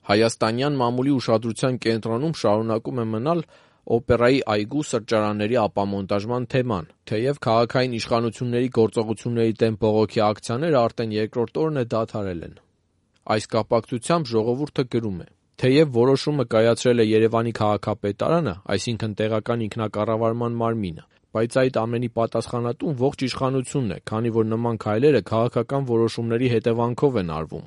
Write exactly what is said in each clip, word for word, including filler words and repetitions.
Հայաստանյան մամուլի ուշադրության կենտրոնում շարունակում է մնալ օպերայի այգու սրճարանների ապամոնտաժման թեման, թեև քաղաքային իշխանությունների գործողությունների դեմ բողոքի ակցիաները արդեն երկրորդ օրն է դադարել են։ Այս կապակցությամբ ժողովուրդը գրում է. թեև որոշումը կայացրել է Երևանի քաղաքապետարանը, այսինքն տեղական ինքնակառավարման մարմինը, բայց այդ ամենի պատասխանատուն ողջ իշխանությունն է, քանի որ նման քայլերը քաղաքական որոշումների հետևանքով են արվում։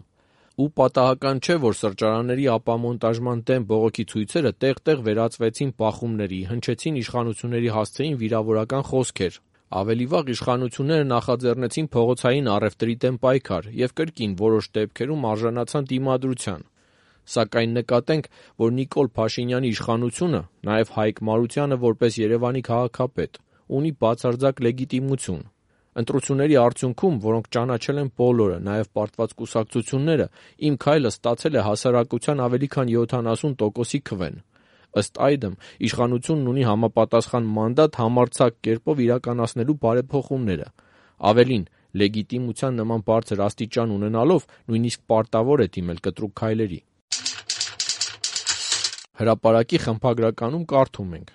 Ու պատահական չէ, որ սրճարանների ապամոնտաժման դեմ բողոքի ցույցերը տեղ-տեղ վերածվեցին բախումների, հնչեցին իշխանությունների հասցեին վիրավորական խոսքեր։ Ավելի վաղ իշխանությունները նախաձեռնեցին փողոցային առևտրի դեմ պայքար և կրկին որոշ դեպքերում արժանացան դիմադրության։ Սակայն նկատենք, որ Նիկոլ Փաշինյանի իշխանությունը, նաև Հայկ Մարությանը որպես Երևանի քաղաքապետ, ունի բացարձակ լեգիտիմություն։ Ընտրությունների արդյունքում, որոնք ճանաչել են բոլորը, նաև պարտված կուսակցությունները, իմ քայլը ստացել է հասարակության ավելի քան յոթանասուն տոկոսի քվեն։ Ըստ այդմ, իշխանությունն ունի համապատասխան մանդատ համարձակ կերպով իրականացնելու բարեփոխումները։ Ավելին, լեգիտիմության նման բարձր աստիճան ունենալով, նույնիսկ պարտավոր է դիմել կտրուկ քայլերի։ Հրապարակի խմբագրականում կարդում ենք.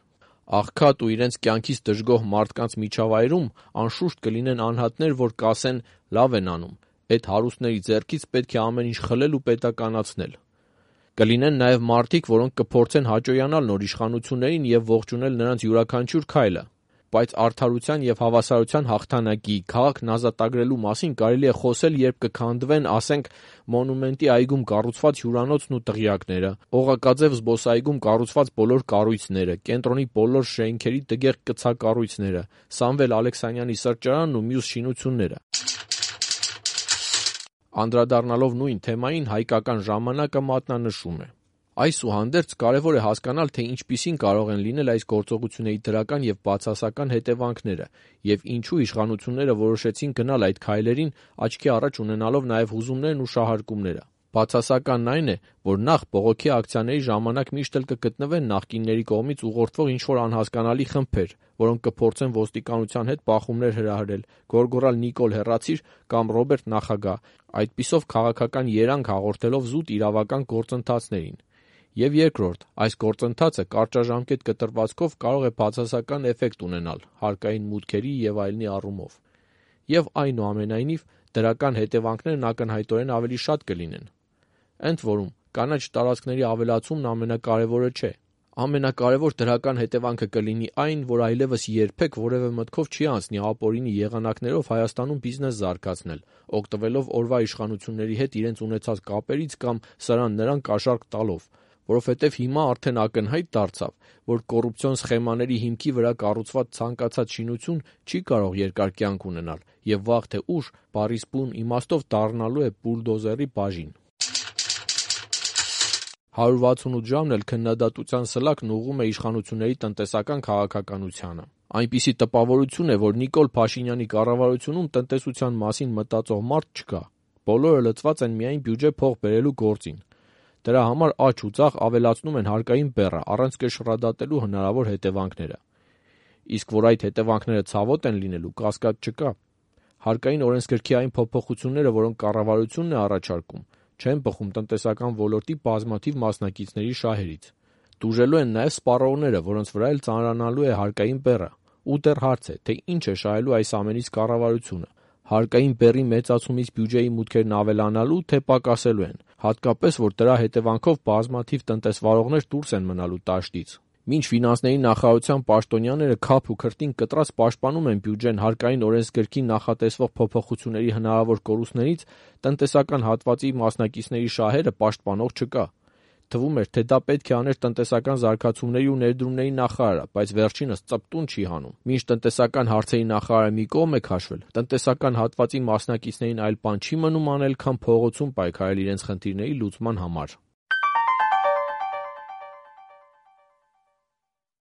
«Աղքատ ու իրենց կյանքից դժգոհ մարդկանց միջավայրում անշուշտ կլինեն անհատներ, որ կասեն՝ լավ են անում, էդ հարուստների ձեռքից պետք է ամեն ինչ խլել ու պետականացնել։ Կլինեն նաև մարդիկ, որոնք կփորձեն հաճոյանալ նոր իշխանություններին և ողջունել նրանց յուրաքանչյուր քայլը։ Բայց արդարության և հավասարության հաղթանակի, քաղաքն ազատագրելու մասին կարելի է խոսել, երբ կքանդվեն, ասենք, Մոնումենտի այգում կառուցված հյուրանոցն ու տղյակները, Օղակաձև զբոսայգում կառուցված բոլոր կառույցները, կենտրոնի բոլոր շենքերի տգեղ կցակառույցները, Սամվել Ալեքսանյանի սրճարանն ու մյուս շինությունները»։ Անդրադառնալով նույն թեմային, «Հայկական ժամանակ»-ը մատնանշում է. «Այսուհանդերձ կարևոր է հասկանալ, թե ինչպիսին կարող են լինել այս գործողությունների դրական և բացասական հետևանքները, և ինչու իշխանությունները որոշեցին գնալ այդ քայլերին՝ աչքի առաջ ունենալով նաև հուզումներն ու շահարկումները։ Բացասականն այն է, որ նախ բողոքի ակցիաների ժամանակ միշտ էլ կգտնվեն նախկինների կողմից ուղղորդվող ինչ-որ անհասկանալի խմբեր, որոնք կփորձեն ոստիկանության հետ բախումներ հրահրել, գոռգոռալ «Նիկոլ հեռացիր» կամ «Ռոբերտ նախագահ», այդպիսով քաղաքական երանգ հաղորդելով զուտ իրավական գործընթացներին։ Եվ երկրորդ, այս գործընթացը կարճաժամկետ կտրվածքով կարող է բացասական էֆեկտ ունենալ հարկային մուտքերի և այլնի առումով։ Եվ այնուամենայնիվ, դրական հետևանքներն ակնհայտորեն ավելի շատ կլինեն։ Ընդ որում, կանաչ տարածքների ավելացումն ամենակարևորը չէ։ Ամենակարևոր դրական հետևանքը կլինի այն, որ այլևս երբեք որևէ մտքով չի անցնի ապօրինի եղանակներով Հայաստանում բիզնես զարգացնել, օգտվելով օրվա իշխանությունների հետ իրենց ունեցած կապերից կամ սրան-նրան կաշառք տալով, որովհետև հիմա արդեն ակնհայտ դարձավ, որ կոռուպցիոն սխեմաների հիմքի վրա կառուցված ցանկացած շինություն չի կարող երկար կյանք ունենալ և վաղ թե ուշ բառիս բուն իմաստով դառնալու է բուլդոզերի բաժին»։ հարյուր վաթսունութ ժամն էլ քննադատության սլաքն ուղղում է իշխանությունների տնտեսական քաղաքականությանը։ Այնպիսի տպավորություն է, որ Նիկոլ Փաշինյանի կառավարությունում տնտեսության մասին մտածող մարդ չկա։ Բոլորը լծված են միայն բյուջե փող բերելու գործին։ Դրա համար աջ ու ձախ ավելացնում են հարկային բեռը, առանց կշռադատելու հնարավոր հետևանքները։ Իսկ որ այդ հետևանքները ցավոտ են լինելու, կասկած չկա։ Հարկային օրենսգրքի այն փոփոխությունները, որոնք կառավարությունն է առաջարկում, չեն բխում տնտեսական ոլորտի բազմաթիվ մասնակիցների շահերից։ Տուժելու են նաև սպառողները, որոնց վրա էլ ծանրանալու է հարկային բեռը։ Ու դեռ հարց է, թե ինչ է շահելու այս ամենից կառավարությունը։ Հարկային բեռի մեծացումից բյուջեի մուտքերն ավելանալու, թե պակասելու են, հատկապես, որ դրա հետևանքով բազմաթիվ տնտեսվարողներ դուրս են մնալու դաշտից։ Մինչ ֆինանսների նախարարության պաշտոնյաները քափ ու քրտինք կտրած պաշտպանում են բյուջեն հարկային օրենսգրքին նախատեսվող փոփոխությունների հնարավոր կորուստներից, տնտեսական հատվածի մասնակիցների շահերը պաշտպանող չկա։ Թվում էր, թե դա պետք է աներ տնտեսական զարգացումների ու ներդրումների նախարարը, բայց վերջինս ծպտուն չի հանում։ Մինչ տնտեսական հարցերի նախարարը մի կողմ է քաշվել, տնտեսական հատվածի մասնակիցներին այլ բան չի մնում անել, քան փողոցում պայքարել իրենց խնդիրների լուծման համար։